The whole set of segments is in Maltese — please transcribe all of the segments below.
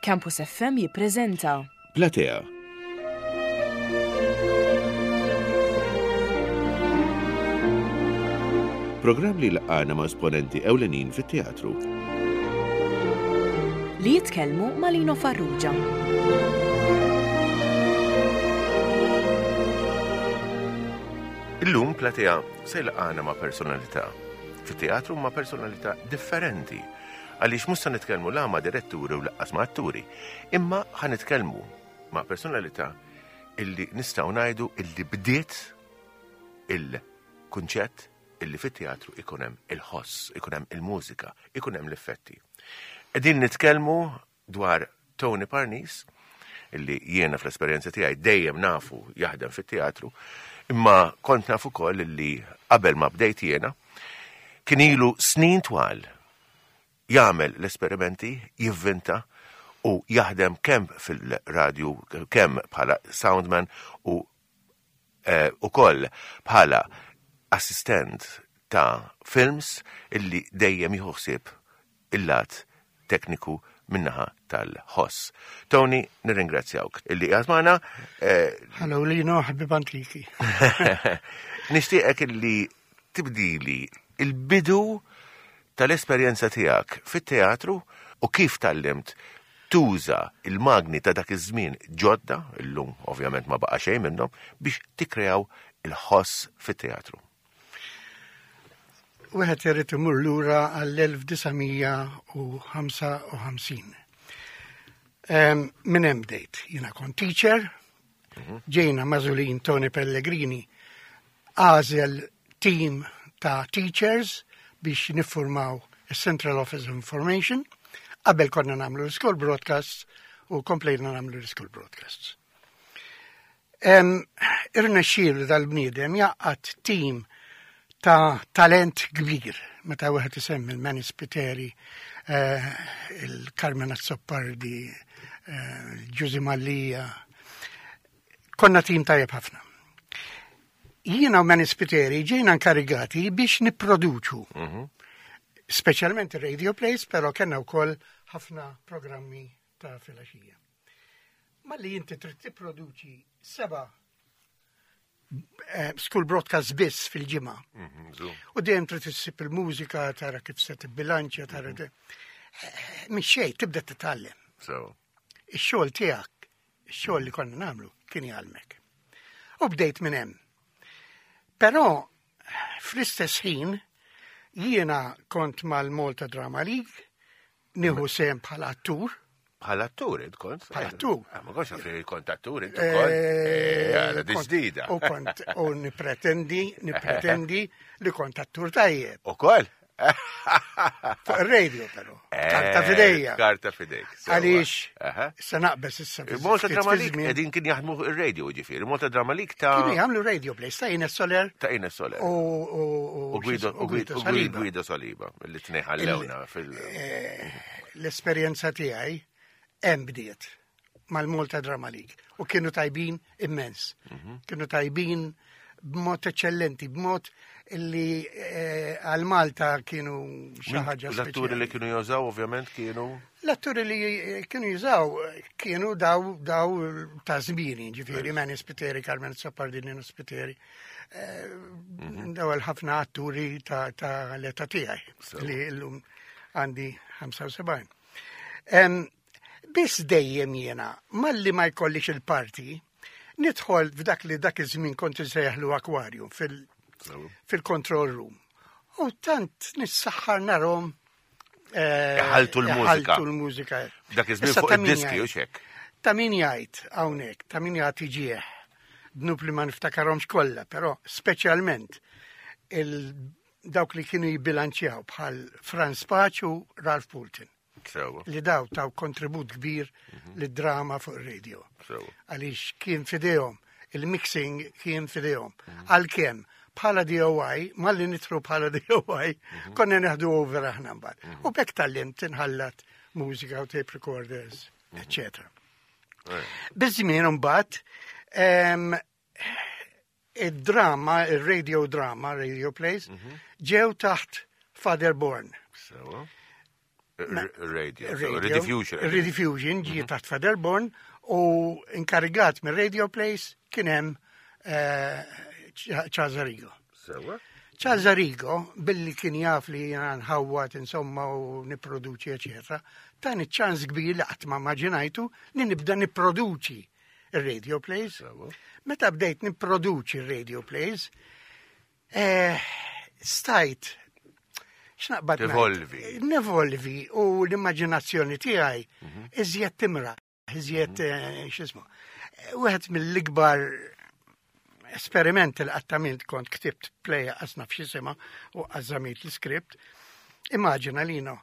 Campus FM jippreżenta. Platea. Programm li laqgħana ma' esponenti ewlenin fit-teatru. Li jitkellmu ma' Lino Farrugia. Illum Platea se jlaqgħana ma' personalità. Fit-teatru ma' personalità differenti Għaliex mhux se nitkellmu la ma' diretturi u laqqas ma' atturi, imma ħa nitkellmu ma' personalità illi nistgħu ngħidu illi bdiet il-kunċett illi fit-teatru ikun hemm il-ħoss, ikun hemm il-mużika, ikun hemm l-effetti. Qegħdin nitkellmu dwar Tony Parnis, illi jiena fl-esperjenza tiegħi dejjem nafu jaħdem fit-teatru, imma kont naf ukoll illi qabel ma bdejt jiena kien ilu snin twal jagħmel l-esperimenti, jivvinta u jaħdem kemm fil-radju, kemm bħala soundman u eh, ukoll bħala assistent ta' films illi dejjem jieħu ħsieb il-lat tekniku minnaħa tal-ħoss. Tony, nirringrazzjawk illi qiegħed magħna. Eh, Hello Lino, ħabib antiki. Nixtieqek illi tibdili il-bidu tal-esperjenza tiegħek fit-teatru u kif tallimt tuża il-magni ta' dak iż-żmien ġodda, illum ovvjament ma baqa' xejn minnhom, biex tikkreaw il-ħoss fit-teatru. Wieħed irid imur lura għall-1955. Minn hemm bdejt, jiena kont teacher, mhm. ġejna mażulin Tony Pellegrini għażel team ta' teachers biex niffurmaw il-Central Office of Information. Qabel konna namlu l-school broadcasts u komplejna namlu l-school broadcasts. Irnexxielu dal-bniedem jaqqat team ta' talent kbir meta wieħed isemmi l-Manny Spiteri, eh, il-Carmen Azzopardi, eh, Ġużi Mallia. Konna team tajjeb ħafna. Jiena u Manny Spiteri ġejna inkarigati biex nipproduċu. Mhm. Speċjalment radio plays, però kellna wkoll ħafna programmi ta' filgħaxija. Malli inti trid tipproduċi seba' eh, school broadcast biss fil-ġimgħa. Mhm, u dejjem trid issib il-mużika, tara kif se tibbilanċja, tara mhm. eh, minn xejn tibda titgħallem. Ix-xogħol tiegħek, ix-xogħol li konna nagħmlu kien jgħallmek. U bdejt minn hemm. Però fl-istess ħin jiena kont mal-Malta Drama League, Nieħu sehem bħala attur. Bħala attur int kont? Bħala attur. Ah, ma kontx naf li kont attur int ukoll. Eh, eh, di ġdida. U kont u nipretendi, nipretendi li kont attur tajjeb. Ukoll? Fuq ir-radio però. Eh, karta fidejja. Karta fidejk. Għaliex se naqbes issa. Malta Drama League qegħdin kien jaħdmu fuq ir-radio ġifieri, Malta Drama League ta' Kienu jagħmlu radio plays ta' Ines Soler. Ta' Ines Soler. U Guido u Guido Saliba li tneħallewna fil. Eh, l-esperjenza tiegħi hemm bdiet mal-Malta Drama League u kienu tajbin immens. Mhm. Kienu tajbin b'mod eċċellenti, b'mod li eh, għal Malta kienu xi ħaġa. L-atturi li kienu jużaw ovvjament kienu. L-atturi li eh, kienu jużaw eh, kienu daw daw ta' żmieni, ġifieri Manny Spiteri, Carmen Soppardini Spiteri. Mhm. Daw ħafna atturi ta' l-età tiegħi li llum għandi 75. Biss dejjem jiena, malli ma jkollix il-parti, nidħol f'dak li dak iż-żmien kont insejjaħlu aquarium fil-control room. U tant nissaħħar narhom eh, ħaltu l-mużika. Ħaltu l-mużika. Dak iż-żmien fuq id-diski u xek. Ta' min jgħid hawnhekk, ta' min jagħti ġieħ. Dnub li ma niftakarhomx kollha, però speċjalment il dawk li kienu jibbilanċjaw bħal Franz Paċ u Ralph Poulton. Li daw taw kontribut kbir mhm. li drama fuq il-radio. Għaliex kien fidejhom, il-mixing kien fidejhom. Mhm. Għalkemm bħala DOI, malli nitru bħala DOI, mhm. konna neħdu over aħna mbagħad. U bekk tal-lim tinħallat mużika u tape recorders, etc. Biż-żmien mbagħad id-drama, il-radio drama, radio plays, mhm. ġew taħt Father Born. Radio. Rediffusion. Rediffusion ġie mhm. taħt Faderborn u inkarigat minn Radio Place kien hemm eh, Charles Arrigo. Sewa. Charles Arrigo, billi kien jaf li jena nħawwat insomma u niproduċi, eccetera, tani ċans kbir li qatt ma immaġinajtu li nibda niproduċi il-radio plays. Meta bdejt niproduċi il-radio plays, eh, stajt x'naqbad Nevolvi. Nevolvi u l-immaġinazzjoni tiegħi mhm. iżjed timra, iżjed mhm. eh, x'ismu. Wieħed mill-ikbar esperimenti li qatt kont ktibt play qasna f'xisima u qażżamit l-iskript. Immaġina lino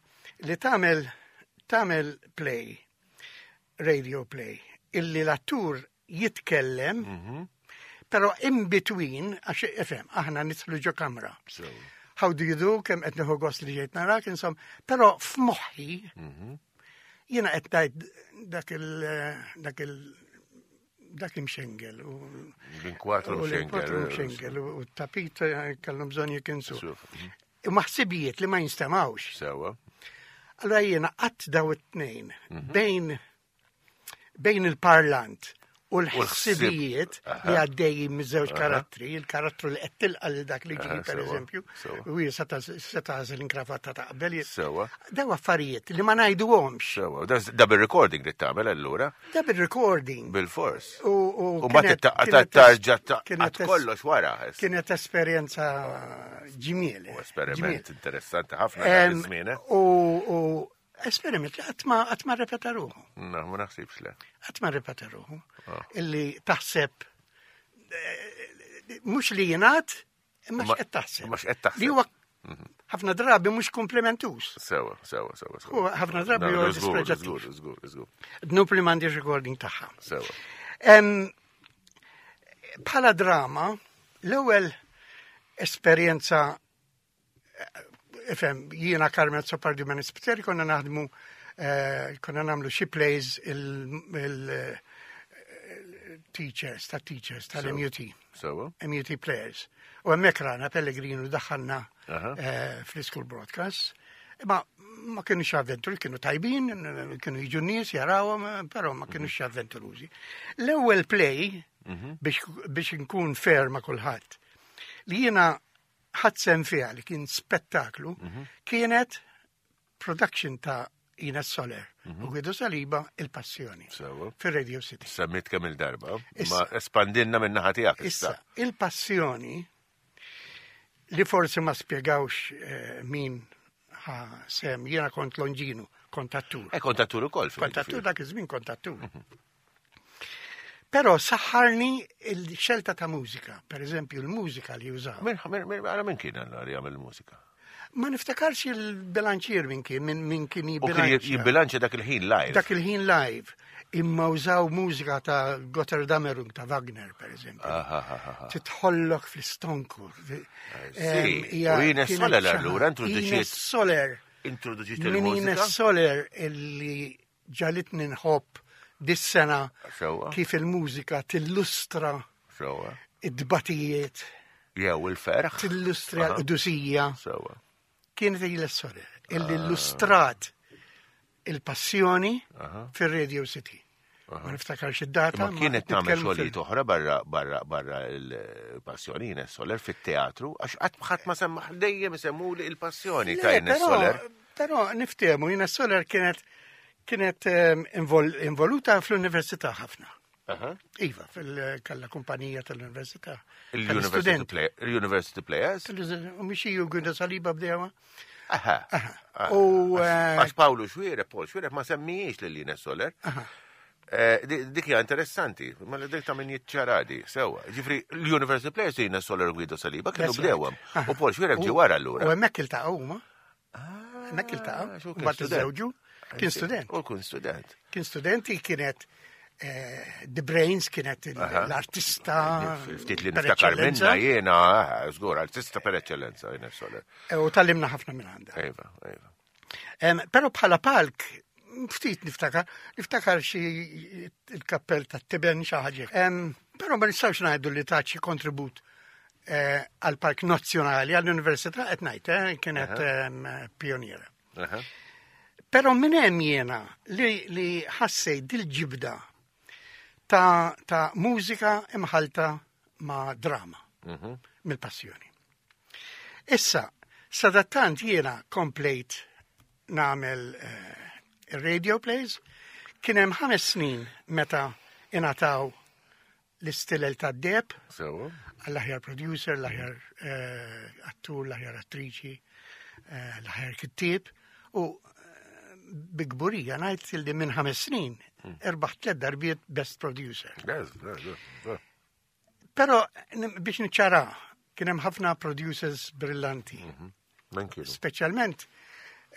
li tagħmel tagħmel play, radio play, illi l-attur jitkellem, mhm. pero in between, għax ifhem, aħna nidħlu ġo kamra. How do you do, kemm qed nieħu gost li ġejt narak, insomma, però f'moħħi mhm. jiena qed ngħid dak il dak il dak imxengel u l-inkwatru mxengel u t-tapit eh, kellhom bżonn jikinsu. Mhm. Imma ħsibijiet li ma jinstemawx. Sewa. Allora jiena qatt daw it-tnejn bejn bejn il-parlant u l-ħsibijiet li għaddejjin miż-żewġ karattri, il-karattru li qed tilqa' lil dak li ġi pereżempju, u hi se tagħżel inkravatta ta' qabel. Sewa. Daw affarijiet li ma ngħiduhomx. Sewa, da bil-recording li tagħmel allura? Da bil-recording. Bil-fors. U ma tittaqqa tarġa ta' kollox wara. Kienet esperjenza ġimieli. U esperiment interessanti ħafna dak iż-żmien. Eh? U Esperiment li qatt ma qatt ma rrepeta ruħu. Na, ma naħsibx le. Qatt ma rrepeta ruħu. Ah. Illi taħseb eh, mhux li jingħad imma x'qed taħseb. Imma x'qed taħseb. Li huwa mhm. ħafna drabi mhux komplimentuż. Sewa, sewa, sewa. sewa. Ħafna drabi huwa dispreġattiv. Żgur, żgur, żgur. Dnub li m'għandix recording tagħha. Sewa. Bħala drama, l-ewwel esperjenza Ifhem, jiena Carmen Azzopardi ma Nispiteri konna naħdmu eh, konna nagħmlu xi plays il-teachers, ta' teachers tal-MUT. MUT players. U hemmhekk rana Pellegrino daħħalna eh, fl-school broadcast. Ma ma kienu avventuri, kienu tajbin, kienu jiġu nies jarawhom, però ma kienu mhm. avventurużi. L-ewwel play mhm. biex nkun fair ma' kulħadd li jiena ħadt sehem fiha li kien spettaklu mhm. kienet production ta' Ines Soler mhm. u Guido Saliba il-Passjoni fir-Radio City. Semmit kemm il-darba, ma espandinna minn naħa tiegħek issa. Il-Passjoni li forsi ma spjegawx eh, min ħa sem, jiena kont Longinu, kontattur. E kontattur ukoll. Kontattur dak iż-żmien kontattur. Mhm. Però saħħarni il-xelta ta' mużika, per eżempju l-mużika li użaw. Għala minn kien għalla li għamil mużika? Ma niftakarx il-bilanċier minn kien, minn kien jibbilanċja. Jibbilanċja dak il-ħin live. Dak il-ħin live. Imma użaw mużika ta' Gotterdammerung ta' Wagner, per eżempju. Titħollok fl-istonku. U Ines Soler allura introduċiet. Soler. Introduċiet il-mużika. Ines Soler illi ġalitni nħobb dis-sena kif il-mużika tillustra id-dbatijiet. Jew il-ferħ. Tillustra l-qdusija. Kienet il sorel illi ah. illustrat il-passjoni fir-Radio City. Ma niftakarx id-data. Ma kienet tagħmel xogħlijiet oħra barra barra barra l-passjoni Ines Soler fit-teatru għax qatt ħadd ma semma dejjem isemmuli il-passjoni ta' Ines Soler. Però niftehmu Ines Soler kienet kienet ehm, involuta fl-università ħafna. Iva, fil-kalla kumpanija tal-università. Il-University Players? U mixi ju Gwida Saliba bdewa. Aha. U eh, għax Pawlu Xwire, Paul Xwire ma semmijiex lil Ines Soler. Eh, dik hija interessanti, ma li dik ta' min jiċċaradi, sewa. Ġifri, l-University Players Ines Soler Guido Saliba kienu bdewhom. U Paul Xwire ġi wara allura. U hemmhekk iltaqgħu huma. Ah, Hemmhekk iltaqgħu. Mbagħad iżżewġu. Kien student. U kien student. Kien studenti kienet eh, The Brains kienet l-artista. Ftit li niftakar minna jiena, eh, żgur, artista per eccellenza, jiena Soler. Eh, u tallimna ħafna minn għandha. Iva, iva. Però bħala palk, ftit niftakar, niftakar xi il-kappell ta' tiben xi ħaġa. Però ma nistgħux ngħidu li ta' xi kontribut eh, għal Park Nazzjonali, għall-Università qed ngħid, eh, kienet pioniera. Però minn hemm jiena li, li ħassejt dil-ġibda ta', ta mużika imħalta ma' drama mm -hmm. mill-passjoni. Issa, sadattant jiena komplejt nagħmel eh, radio plays, kien hemm ħames snin meta ingħataw l-istilel tad-deheb. Sewa. Għall-aħjar producer, l-aħjar eh, attur, l-aħjar attriċi, eh, l-aħjar kittieb. U eh, bi kburija ngħid li minn ħames snin hmm. erbaħ tliet darbiet best producer. Però biex niċċara, kien hemm ħafna producers brillanti. Mhm. Men kienu? Speċjalment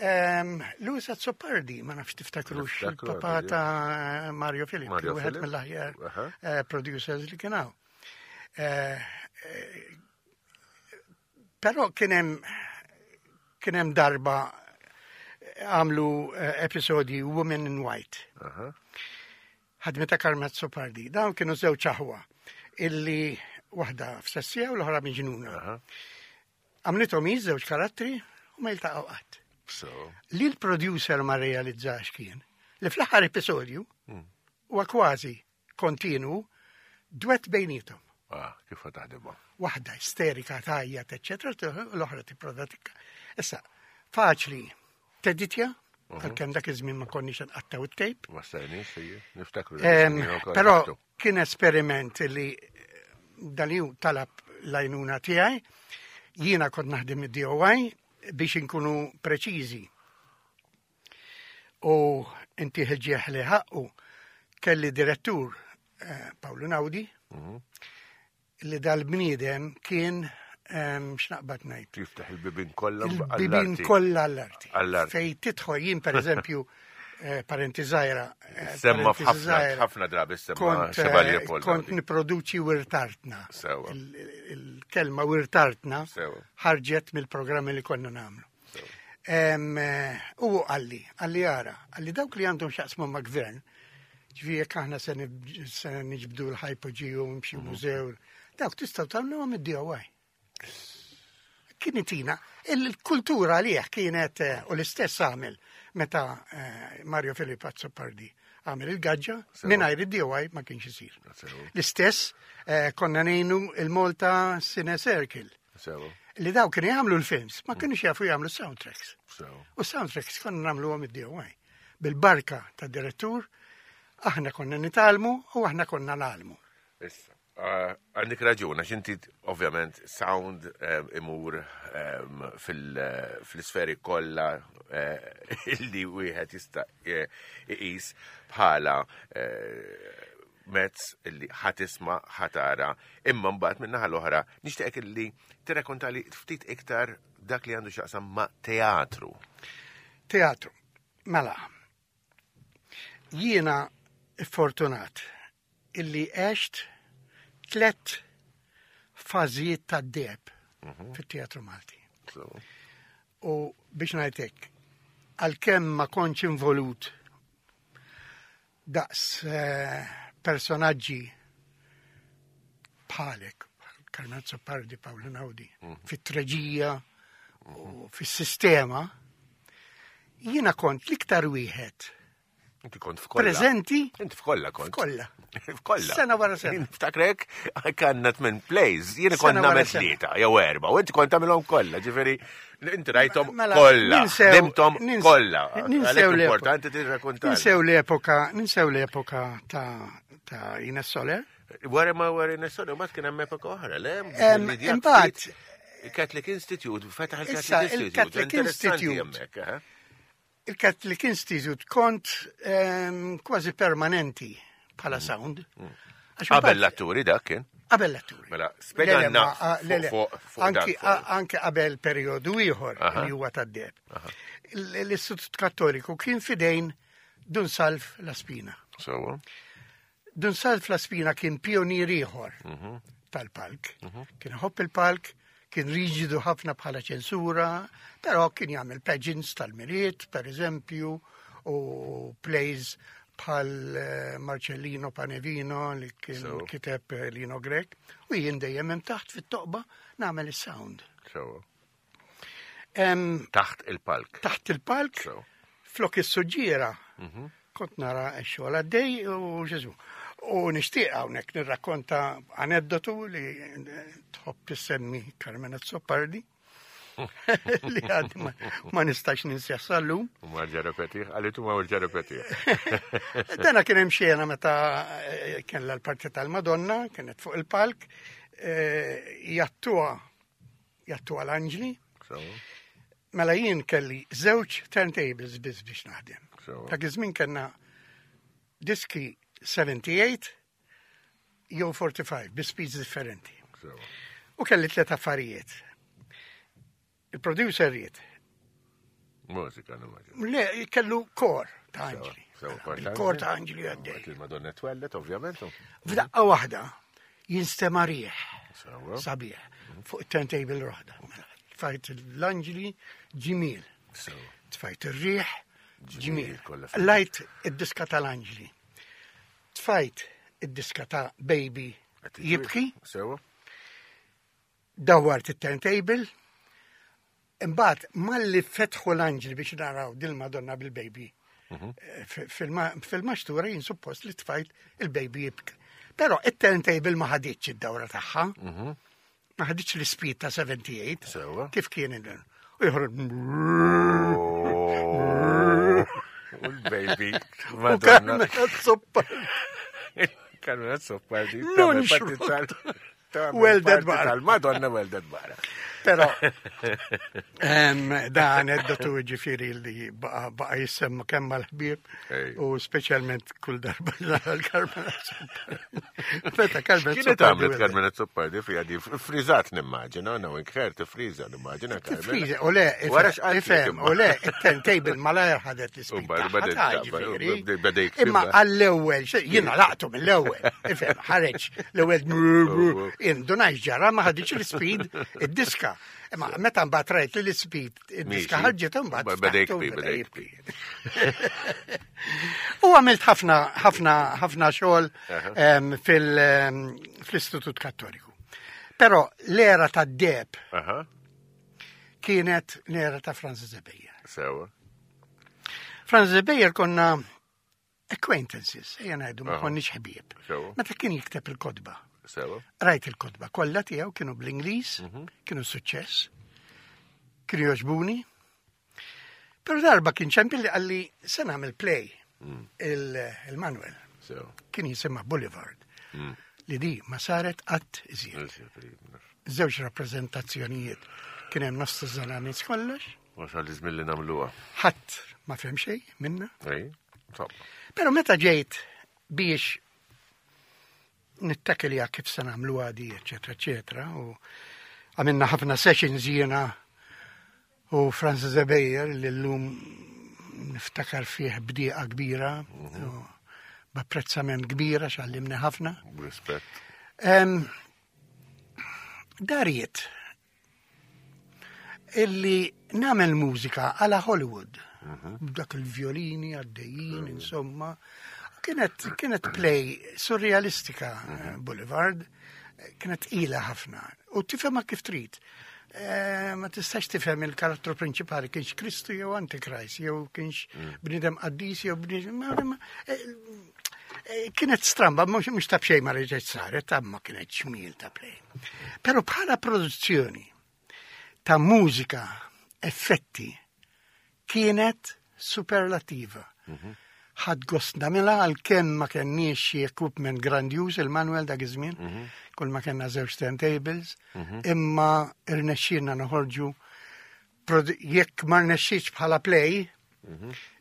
um, Louis Azzopardi, ma nafx tiftakrux il-papa ta' Mario Filip, wieħed mill-aħjar uh, producers li kien hawn. Uh, Però kien hemm kien hemm darba għamlu episodi Women in White. Ħadmita Carmen Azzopardi. Dawn kienu żewġ aħwa illi waħda f'sessija u l-oħra miġnuna. Għamlithom hi żewġ karattri u ma jiltaqgħu qatt. So. Li l-producer ma realizzax kien li fl-aħħar episodju hmm. huwa kważi kontinu dwett bejnietom. Ah, kif taħdimha? Waħda isterika tajjat, eċċetera, l-oħra tipprova tikka. Issa, faċli teditja, mhm. għalkemm dak iż-żmien ma konniex nqattaw it-tejp. Ma stajniex, niftakru. Però kien esperiment li dan ju talab l-għajnuna tiegħi. Jiena kont naħdem id-DOI biex inkunu preċiżi. U inti ħġieħ li ħaqqu kelli direttur eh, Paolo Naudi mhm. li dal-bniedem kien x'naqbad ngħid. Jiftaħ il-bibin kollha Il-bibin kollha għall-arti. Fej tidħol jien pereżempju eh, parenti żgħira. Eh, semma f'ħafna drabi semma eh, Kont niproduċi wirtartna. Il-kelma wirtartna ħarġet mill-programmi li konna nagħmlu. U għalli, għalli għara, għalli dawk li għandhom xaqsmu ma' gvern, ġviri jekk aħna se niġbdu l-ħajpoġi u mxi mhm. mużew, dawk tistgħu tagħmluhom id-DIY. Kien itina, il-kultura għalih kienet eh, u l-istess għamel meta eh, Mario Filippo Azzopardi għamel il-gaġġa mingħajr id-DIY ma kienx isir. L-istess eh, konna ngħinu il-Malta Cine Circle. Li daw kienu jagħmlu l-films, ma kienux jafu jagħmlu soundtracks. U soundtracks konna nagħmluhom id-DIY. Bil-barka ta' direttur, aħna konna nitalmu u aħna konna nagħlmu. Issa, eh, għandek raġun, għax inti ovvjament sound eh, imur eh, fil-sferi kollha illi wieħed jista' iqis bħala mezz illi ħa tisma', ħa tara, imma mbagħad min-naħa l-oħra nixtieqek illi tirrakontali ftit iktar dak li għandu x'jaqsam ma' teatru. Teatru. Mela, jiena fortunat illi għext tlet fażijiet ta' deb mhm. fit-teatru Malti. U biex ngħidlek, għalkemm ma kontx involut daqs eh, personaġġi bħalek, Carmen Pardi, Paolo Naudi, mhm. fit-treġija u mhm. fis-sistema, jiena kont l-iktar wieħed Inti kont f'kolla. Prezenti. Inti f'kolla kont. F'kolla. F'kolla. Sena wara sena. Niftakrek, kanna tmien plays, jiena kont nagħmel tlieta jew erba' u inti kont tagħmilhom kollha, ġifieri Inti rajtom mela, kollha, nimtom kollha. Ninsew l-importanti tirrakkonta. Ninsew l-epoka, ninsew l-epoka ta' ta' Ines Soler. Wara ma wara Ines Soler, ma kien hemm epoka oħra, le? Imbagħad Catholic Institute, fetaħ il-Catholic Institute. Il-Catholic Institute. Eh? Il-Catholic Institute kont ehm, kważi permanenti bħala mm. sound. Mm. Qabel l-atturi dak kien? Qabel l-atturi. Mela, spjegalna Anki qabel periodu ieħor li huwa tad-deb. L-Istitut Kattoliku kien fidejn Dun Salv La Spina. Sewa. Dun Salv La Spina kien pionier ieħor mhm. tal-palk. Mhm. Kien ħobb il-palk, kien riġidu ħafna bħala ċensura, però kien jagħmel pageants tal-Milied, per eżempju, u plays bħal eh, Marcellino Panevino li kien so. kiteb eh, Lino Grek u jien dejjem hemm taħt fit-toqba nagħmel is-sound. So. Taħt il-palk. Taħt il-palk. So. Flok is-suġġiera kont nara x-xogħol għaddej u Ġesu. U nixtieq hawnhekk nirrakkonta aneddotu li tħobb tissemmi Carmen Azzopardi li għad ma nistax ninsja sal-lum. U ma ġarapetih, għalitu ma ġarapetih. Dana kien hemm xena meta eh, kellha l-parti tal-Madonna, kienet fuq il-palk, eh, jattuha jattuha l-anġli. Mela jien kelli żewġ turntables biss biex naħdem. Dak iż-żmien kellna diski 78 jew 45 bi speeds differenti. U kelli tliet affarijiet. Il-producer ried. Mużika, nimmaġina. Le, kellu kor ta' anġli. Il-kor ta' anġli għaddej. Il-Madonna twellet, ovvjament. F'daqqa waħda jinstema' rieħ. Sabiħ. Fuq it-turntable waħda. Mela, tfajt l-anġli ġimil. Tfajt ir-riħ ġimil. Lajt id-diska tal-anġli. Tfajt id-diska ta' Baby jibki. Sewa. Dawwart it-turntable. Imbagħad malli fetħu l-anġli biex naraw dil-Madonna bil-baby. Eh, fil-maxtura jien suppost li tfajt il-baby jibki. Però it-turntable ma ħaditx id-dawra tagħha. Ma ħaditx l-speed ta' 78. Sewa. Kif kien il U joħroġ. U l-baby. U Madonna. Carmen Azzopardi. Carmen Azzopardi. Non xrot. Welded barra. Tal-Madonna welded barra. Però da aneddotu ġifiri li baqa jissemma kemm mal-ħbieb Ej. u speċjalment kull darba l-Carmen Azzopardi. Meta Carmen Kienet Azzopardi għamlet welded. Carmen Azzopardi fija di frizzat nimmaġina, no, inkher tifriza nimmaġina Carmen. Tifriza, u le, Wara x'qalt ifhem, imma. u le, it-turntable malajr ħadet U l-ispin. bad- badet tagħha, taqbel, u ġifieri. bde- beda jiktibha. Imma għall-ewwel, jiena laqtu mill-ewwel, ifhem, ħareġ l-ewwel indunaj ġara ma ħaditx l-speed id-diska. Imma meta mbagħad rajt li l-speed id-diska Miexi. ħarġet imbagħad. Beda ftaħtu jikbi, u beda jikbi. U għamilt ħafna ħafna ħafna xogħol em, fil- em, fl-Istitut Kattoliku. Però l-era tad-deb Aha, kienet l-era ta' Francis Zebejer. sewa. Francis Zebejer konna acquaintances, ejja ngħidu ma Aha. konniex ħbieb. Sewa. Meta kien jikteb il-kodba. Sewa. Rajt il-kodba kollha tiegħu kienu bl-Ingliż, kienu suċċess, kienu jogħġbuni. Però darba kien ċempil li qalli se nagħmel play il- il-Manuel. Sewa. Kien jisimha Boulevard. Li di ma saret qatt iżjed. Żewġ rappreżentazzjonijiet kien hemm nofs żana nies kollox, Wasal iż-żmien li nagħmluha. ħadd ma fehem xejn minna. Ej, insomma. Pero meta ġejt biex nittakilja kif se nagħmlu għadi, eċetera, eċetera, u għamilna ħafna sessions jiena u Francis Ebejer li llum niftakar fih bdieqa kbira, u b'apprezzament kbira xallimni ħafna. Rispett. Em, Dariet illi namel mużika għala Hollywood. Dak il-violini għaddejjin, insomma. Kienet, kienet play surrealistika, Boulevard, kienet ila ħafna. U tifhemha kif trid. Eh, ma tistax tifhem il-karattru prinċipali kienx Kristu jew Antikrist, jew kienx bniedem qaddis jew bniedem. ma- ma- eh, eh, Kienet stramba, mhux mhux ta' b'xejn ma reġgħet saret, ta' ma kienet ċmiel ta' play. Però bħala produzzjoni ta' mużika, effetti, kienet superlativa. Ħadd gost nagħmilha għalkemm ma kenniex xi equipment grandjuż il-Manuel dak iż-żmien, kull ma kellna żewġ turntables, imma irnexxielna noħorġu produ- jekk ma rnexxietx bħala play,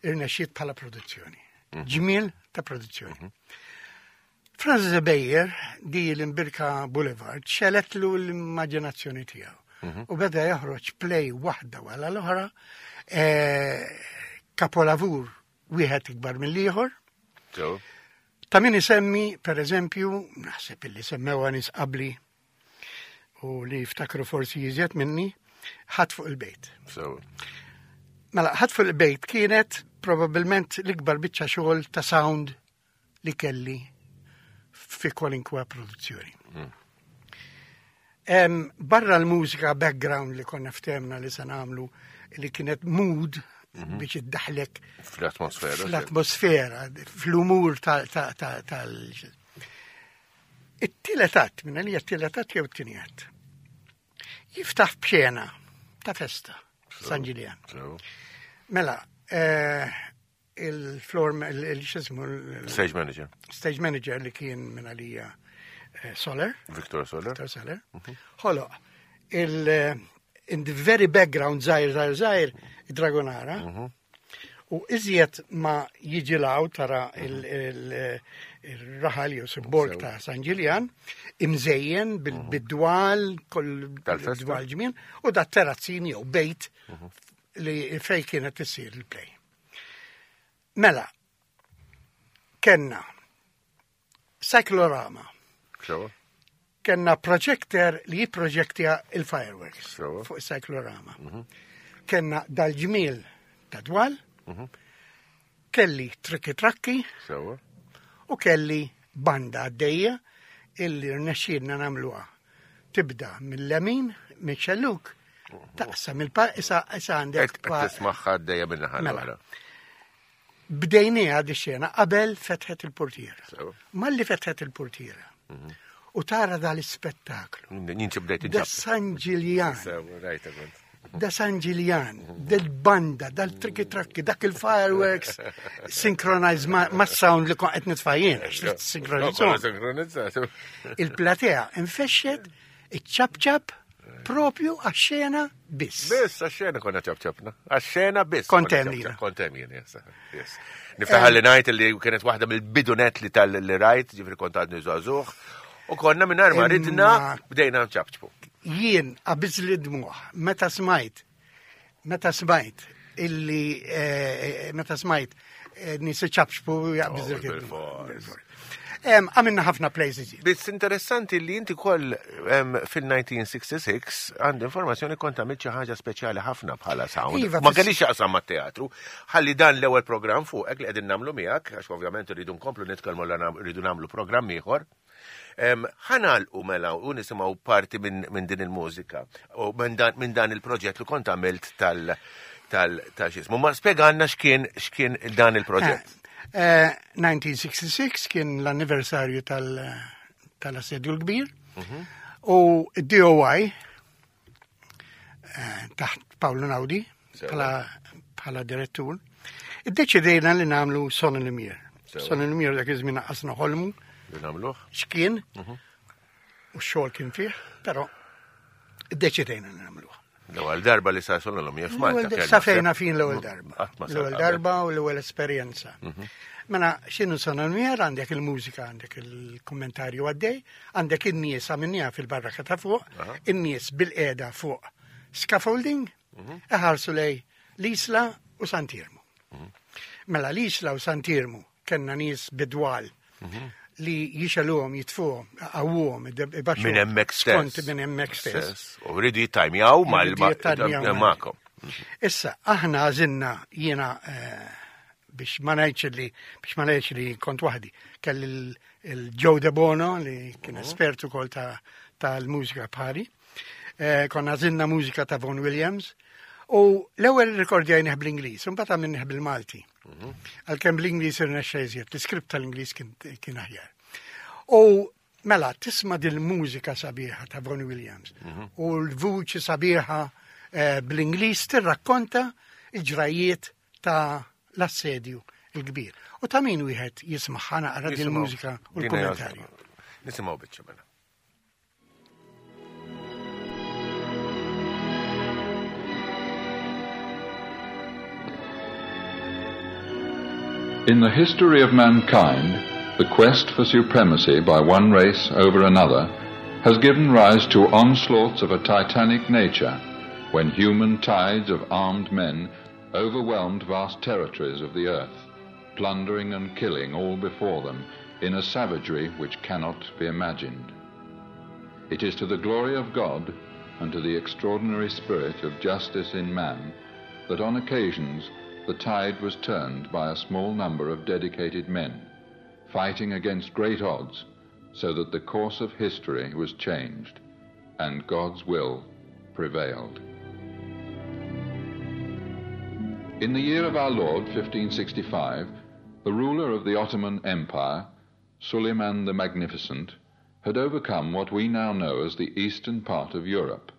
irnexxiet bħala produzzjoni. Ġmiel ta' produzzjoni. Franz Beyer, di l-Imbirka Boulevard, xeletlu l-immaġinazzjoni tiegħu. U beda joħroġ play waħda wara l-oħra, eh, kapolavur wieħed ikbar mill-ieħor. Sewa. Ta' min isemmi, per eżempju, naħseb illi semmewa nies qabli u li jiftakru forsi jiżjed minni, ħadd fuq il-bejt. Sewa. Mela, ħadd fuq il-bejt kienet probabbilment l-ikbar biċċa xogħol ta' sound li kelli fi kwalinkwa produzzjoni. Em, barra l-mużika background li konna ftemna li se nagħmlu li kienet mood Mhm. biex iddaħlek fl-atmosfera. Fl-atmosfera, fl-umur tal. It-tielet att, minn għalija t-tielet att jew t-tieni att. Jiftaħ b'xena ta' festa, San Ġiljan. Mela, eh, il-floor, il-xismu. Stage manager. Stage manager li kien minn għalija eh, Soler. Victor Soler. Victor Soler. Mhm. Ħoloq, il- eh, in the very background zaħir, zaħir, zaħir, Dragonara. Mhm. U iżjed ma jiġi law tara mhm. il-raħal jew borg ta' San Ġiljan, imżejjen bid-dwal, kull dwal ġmien, u da terrazzini jew bejt li fej kienet issir il-play. Mela, kenna cyclorama. Kenna projector li jipproġektja il-fireworks fuq cyclorama. Mhm. Kenna dal-ġmiel ta' dwal, mhm. kelli trikki trakki u kelli banda għaddejja illi rnexxielna nagħmluha. Tibda mill-lemin, mix-xelluk, taqsam il-pa, issa għandek. Tismaħħa għaddejja minn naħa mela. l-oħra. Bdejniha di xena qabel fetħet il-portiera. Malli fetħet il-portiera. Mhm. U tara dal-ispettaklu. Ninċi bdejt Da San Ġiljan. Da San Ġiljan, del-banda, dal-trikki trakki, dak il-fireworks synchronized ma' sound li kon qed nitfajjien, Sinkronizzaw. Il-platea infexxet, iċ-ċapċap, propju għax-xena biss. Biss, għax-xena konna ċapċapna. Għax-xena biss. Kontem jien. Kontem jien, yes. yes. Niftaħar li ngħid li kienet waħda mill-bidunet li tal-li rajt, ġifri kont għadni żagħżugħ, u konna mingħajr ma ridna bdejna nċapċpu. Jien qabiżli dmuħ meta smajt meta smajt illi eh, meta smajt eh, nies iċapċpu jaqbiżlek oh, Għamilna ħafna plays iżjed. Biss interessanti li inti koll fil-1966 għand informazzjoni kont għamilt xi ħaġa speċjali ħafna bħala sound. Iva, ma kellix jaqsam mat-teatru. Ħalli dan l-ewwel programm fuqek li qegħdin nagħmlu miegħek, għax ovvjament irridu nkomplu nitkellmu rridu nagħmlu programm ieħor. Ħanalqu mela u nisimgħu parti minn din il-mużika u minn dan il-proġett li kont għamilt tal tal tal xismu. Ma spjegalna x'kien x'kien dan il-proġett. 1966 eh, kien l-anniversarju tal-assedju l-kbir mhm. u d-DOI eh, taħt Paolo Naudi bħala direttur, iddeċidejna li nagħmlu Son Lumiere. Son Lumiere dak iż-żmien qasna ħolmu. Li nagħmluh. X'kien? Mhm. U x-xogħol kien fih, però iddeċidejna li nagħmluh. L-ewwel darba li sar Son Lumiere f'Malta. Sa fejna fin l-ewwel darba. L-ewwel darba u l-ewwel esperjenza. Mhm. Mela, x'inhu Son Lumiere għandek il-mużika, għandek il-kummentarju għaddej, għandek in-nies għamilniha fil-barraka ta' fuq, in-nies bil-qiegħda fuq scaffolding, mhm. iħarsu lej l-Isla u Sant'Iermu. Mhm. Mela l-Isla u Sant'Iermu kellna nies bidwal mhm. li jixeluhom, jitfuhom, għawuhom, Minn hemmhekk stess. Kont minn hemmhekk stess. U rridu jittajmjaw mal-magħkom. Issa, aħna għażilna jiena eh, biex ma ngħidx li biex ma ngħidx li kont waħdi. Kelli il-Joe De Bono li kien mhm. espert ukoll tal-mużika bħali. Eh, konna għażilna mużika ta' Vaughan Williams u l-ewwel rikordjajnih bl-Ingliż, imbagħad għamilnih bil-Malti. Mhm. Għalkemm bl-Ingliż irnexxa iżjed, l-iskript tal-Ingliż kien aħjar. U mela tisma' dil-mużika sabiħa ta' Vaughan Williams mhm. u l-vuċi sabiħa eh, bl-Ingliż tirrakkonta il-ġrajiet ta' l-assedju il-kbir. U ta' min wieħed jismaħħa naqra din mużika u l-kommentarju. Nisimgħu biċċa mela. In the history of mankind, the quest for supremacy by one race over another has given rise to onslaughts of a titanic nature when human tides of armed men overwhelmed vast territories of the earth, plundering and killing all before them in a savagery which cannot be imagined. It is to the glory of God and to the extraordinary spirit of justice in man that on occasions the tide was turned by a small number of dedicated men, fighting against great odds so that the course of history was changed and God's will prevailed. In the year of our Lord, 1565, the ruler of the Ottoman Empire, Suleiman the Magnificent, had overcome what we now know as the eastern part of Europe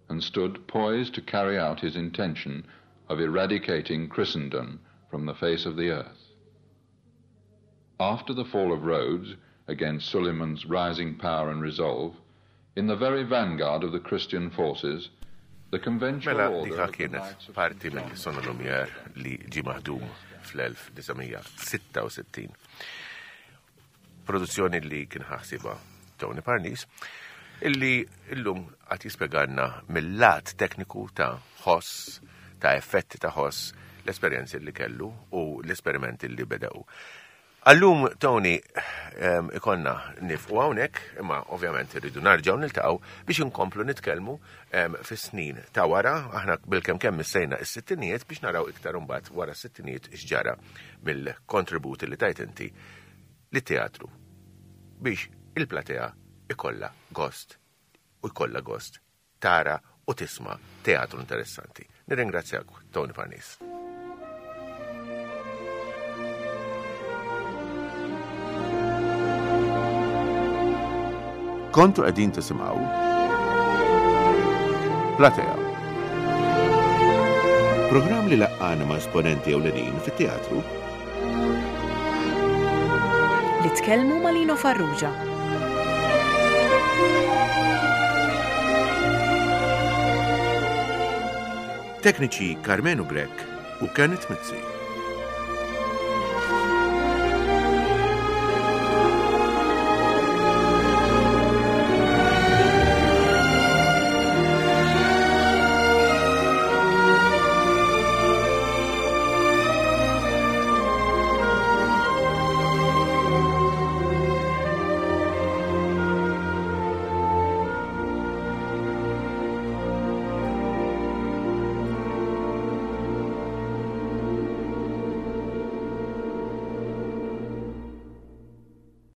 and stood poised to carry out his intention of eradicating Christendom from the face of the earth. After the fall of Rhodes, against Suleiman's rising power and resolve, in the very vanguard of the Christian forces, the conventual Mela order dika of the kienet Knights of parti St. minn John Sono Lumiere li ġie maħdum fl-1966. Produzzjoni li kien ħaħsiba Tony Parnis, illi illum għat jispjegalna mill-lat tekniku ta' ħoss, ta' effetti ta' ħoss, l-esperjenzi li kellu u l-esperimenti li bedew. Allum, Tony, em, ikonna nifqu hawnhekk, imma ovvjament irridu narġgħu niltaqgħu biex inkomplu nitkellmu em, fis-snin ta' wara, aħna bilkemm kemm missejna is-sittinijiet biex naraw iktar imbagħad wara s-sittinijiet x'ġara mill-kontributi li tajt inti lit-teatru biex il-platea ikolla gost u jkollha gost tara u tisma' teatru interessanti. Nirringrazzjak, Tony Parnis. Kontu qegħdin tisimgħu Platea. Programm li laqqana ma' esponenti ewlenin fit-teatru Li tkellmu ma' Lino Farrugia. Tekniċi Carmenu Grech u Kenneth Mizzi.